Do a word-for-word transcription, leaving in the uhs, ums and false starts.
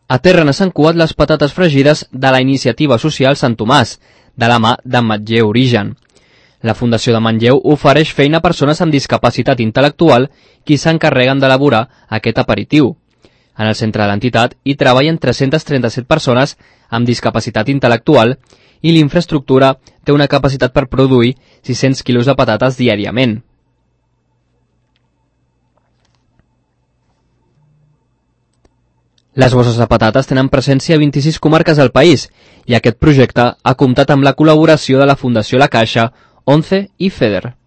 A Térrena s'han cuat les patates fregides de la iniciativa social Sant Tomàs, de la mà de Manlleu Origen. La Fundació de Manlleu ofereix feina a persones amb discapacitat intel·lectual qui s'encarreguen d'elaborar aquest aperitiu. En el centre de l'entitat hi treballen tres-centes trenta-set persones amb discapacitat intel·lectual i l'infraestructura té una capacitat per produir sis-cents quilos de patates diàriament. Les bosses de patates tenen presència a vint-i-sis comarques del país i aquest projecte ha comptat amb la col·laboració de la Fundació La Caixa, ONCE i FEDER.